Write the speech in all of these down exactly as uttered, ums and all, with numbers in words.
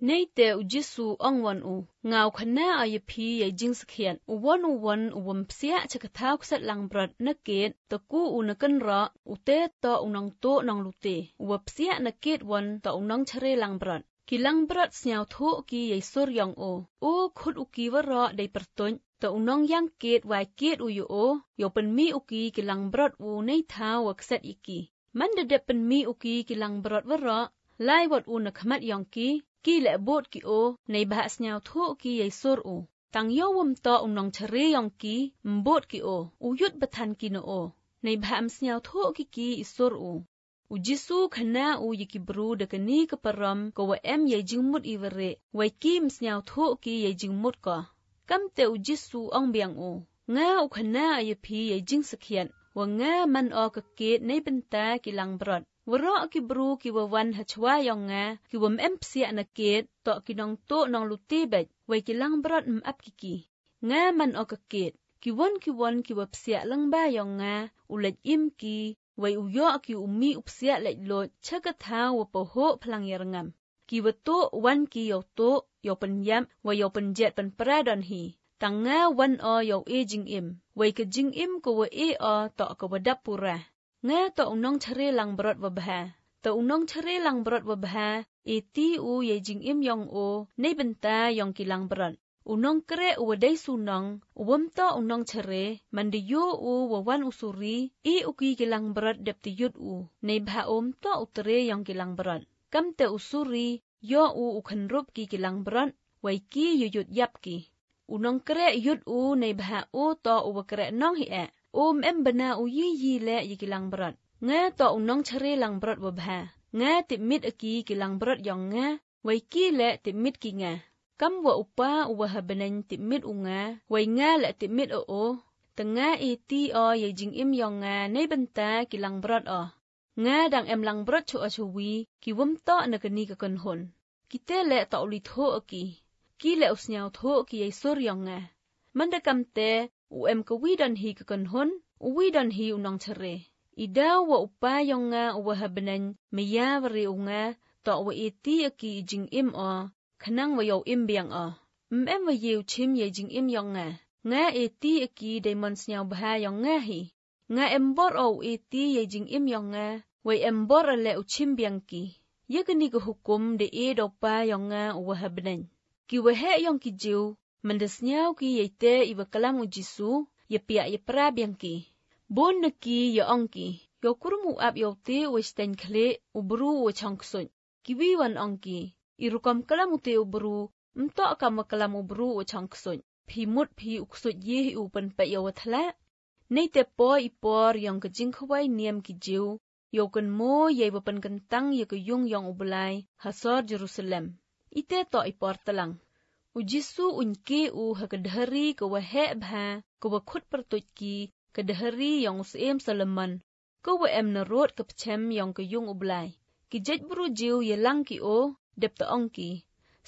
Nei te u Jisu ong wan u ngao khana a ye phi ye jing skhian u won u won u wom psia chakathaw ksat lang brot na ket to ku u na kan ra u te to u nong to nong lu te u psia na ket won to u nong chre lang brot ki lang brot snyao thu ki ye sur yong o u khut u ki wa ra dei perton to u nong yang ket wai ket u yo o yo pen mi u ki ki lang brot u nei thaw wa ksat iki man de de pen mi u ki ki lang brot wa ra lai wat u na khmat yong ki ki le bot ki o nei ba snyao thu ki ye sur u tang yo wom to u nong chre yong ki mbot ki o u yut bathan ki no o nei ba am snyao thu ki ki isur u u Jisu khana u yiki bru de kani ka param ko wa em ye jingmut iwere wai ki msnyao thu ki ye jingmut ko kam te u Jisu ong biang u nga u khana ye phi ye jing sakhian wa nga man o ka ke nei benta ki lang brot wro ki bru ki wa wan ha chwa yong nga ki wam em psia na ket to ki nong to nong lu ti bet wai ki lang brot m ap ki ki nga man o ka ket ki won ki won ki wa psia lang ba yong nga u lej im ki wai u yo ki u mi u psia lej lo cha ka tha wa po ho phlang yar ngam ki wa to wan ki yo to yo pen yam wa yo pen jet pen pra don hi tang nga wan o yo e jing im wai ka jing im ko wa e o to ka wa dap pura nga to unong chre lang brot wa bha to unong chre lang brot wa bha e ti u ye jing im yong o nei benta yong ki lang brot unong kre u dei sunong uwom to unong chre man de yo u wa wan usuri e u ki ki lang brot dep ti yut u nei bha om to utre yong ki lang brot kam te usuri yo u u khan rup ki ki lang brot wai ki yu yut yap ki unong kre yut u nei bha u to u wa kre nong hi e om em bana u yi yi le yi ki lang brot nga to unong chre lang brot wa bha nga ti mit aki ki lang brot yong nga wai ki le ti mit ki nga kam wa upa u wa habanan ti mit u nga wai nga le ti mit o o ta nga e ti o ye jing im yong nga nei benta ki lang brot o nga dang em lang brot chu a chu wi ki wom to na ka ni ka kon hon ki te le to li tho ki ki le usnyao tho ki ye sur yong nga man da kam te u em ka wi dan hi ka kon hon u wi dan hi u nong chre i daw wa upa yong nga u wa habanan me ya wri u nga to wa e ti ki jing im o khanang wa yo im biang o m em wa yew chim ye jing im yong nga nga e ti ki de mon snyao bha yong nga hi nga em bor o e ti ye jing im yong nga wai em bor le u chim biang ki ye ka ni ka hukum de e do pa yong nga u wa habanan ki wa he yong ki jiw man de snyao ki ye te i wa kalam u Jisu ye pia ye pra biang ki bon na ki ye ong ki yo kurmu ap yo te u sten khle u bru u chang ksun ki wi wan ong ki i rukam kalam u te u bru mto kam wa kalam u bru u chang ksun phi mut phi u ksut ye u pen pe yo thla nei te po i por yong ka jing khwai niam ki jiw yo kan mo ye wa pen kan tang ye ka yung yong u blai hasor Jerusalem ite to i por talang u Jisu unke u ha ka dhari ka wa he bha ka wa khut pertuj ki ka dhari yong usem Solomon ka wa em na rot ka pchem yong ka yung u blai ki jej bru jiw ye lang ki o dep ta ong ki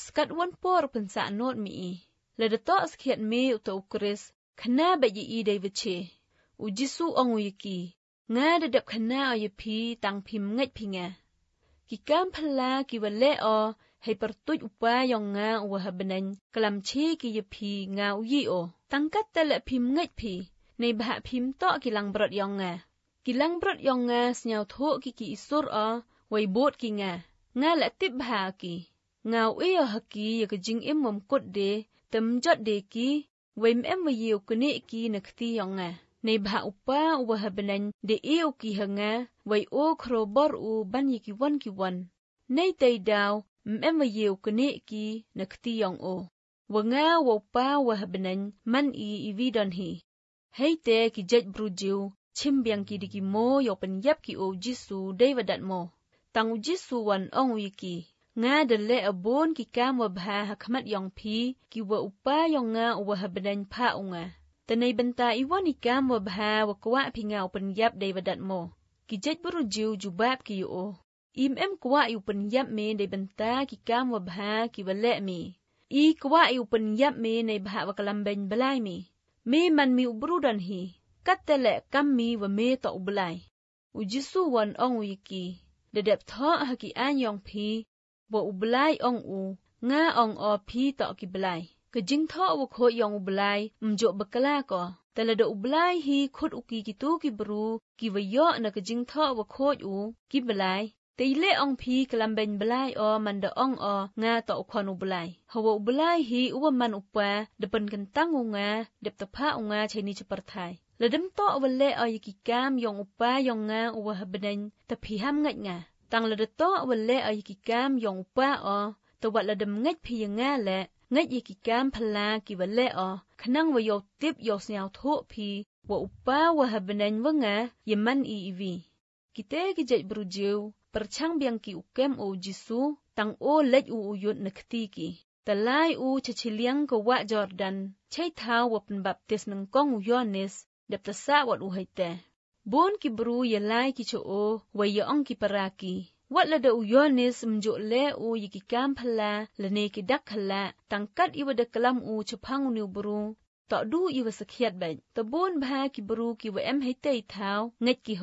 skat wan por pen sa not mi i le de to skhiat me u to ukris khna ba yi i dei che u Jisu ong u ki nga de dep khna o ye phi tang phim ngai phi nga ki kam phla ki wa le o hei pertuj upa yong nga u wa habanan kalam chi ki ye phi nga u yi o tang kat te le phim ngai phi nei bha phim to ki lang brot yong nga ki lang brot yong nga snyao tho ki ki isur o wai bot ki nga nga le tip bha ki nga u e ha ki ye ka jing im mom kot de tem jot de ki wai em wa yew kni ki na khti yong nga nei bha upa u wa habanan de e u ki ha nga wai o khro bor u ban ye ki wan ki wan nei tei daw m wa yew kni ki na khti yong o wa nga wa pa wa habanan man i i vi don hi hei te ki jej bru jiw chim biang ki diki mo yo pen yap ki o Jisu dei wa dat mo tang u Jisu wan ong u ki nga de le abon ki kam wa bha ha khmat yong phi ki wa upa yong nga wa habanan pha u nga tanai benta i wan i kam wa bha wa kwa phi nga u pen yap dei wa dat mo ki jej bru jiw jubab ki yo im em kwa yu pen yap me dei benta ki kam wa bha ki wa le mi i kwa yu pen yap me nei bha wa kalam ben blai mi me man mi ubru dan hi kat te le kam mi wa me to ublai u Jisu wan ong u ki de dep tho ha ki an yong phi wa ublai ong u งาอองอพีตอกิบไลกะจิงทอวะโคยองอุบไลมจ่อบกลาก็แต่ละดอุบไลฮีคุดอุกีกิตูกิบรูกิวยอนะกะจิงทอวะโคอูกิบไลแต่เละองพีกลัมเบนบลายอมันดอองอ งาตอควันอุบไลฮวอุบไลฮีอุวมันอุปาดปันกันตั้งงาเด็บตะพะงาเชนิจปรไทยละดมตอวะเลออยกิกามยองอุปายองงาอุวะหบเนนตะพีหำงัดงาตังละดตอวะเลออยกิกามยองอุปาอตะวะละดมงัดพียงาและงัดยกิกามพลากิวะเลอขนังวะยอติบยอสยาวโทพีวะอุปาวะหบเนนวะงายมันอีอีวีกิเตกิเจบรูจิวประชังเบียงกิอุเกมโอจิซูตังโอเล็ดอูอุยุดนักตีกีแต่ไลอูชะชิเลียงกวะจอร์ดันใช้เท้าวะเป็นบัพติสนังกองอุยอนิสเด็บตะสะวัดอุไฮเตบนกิบรูยไลกิโชโอวยองกิปรากีวัดละเดอุยอนิสมจุเลอูยกิกามพลาละเนกิดักขละตังกัดอีวะเดกลัมอูชพังอุนิวบรูต่อดูอีวะสะเขียดเบตะบนบากิบรูกิวเอ็มไฮเตเท้าเงกิโฮ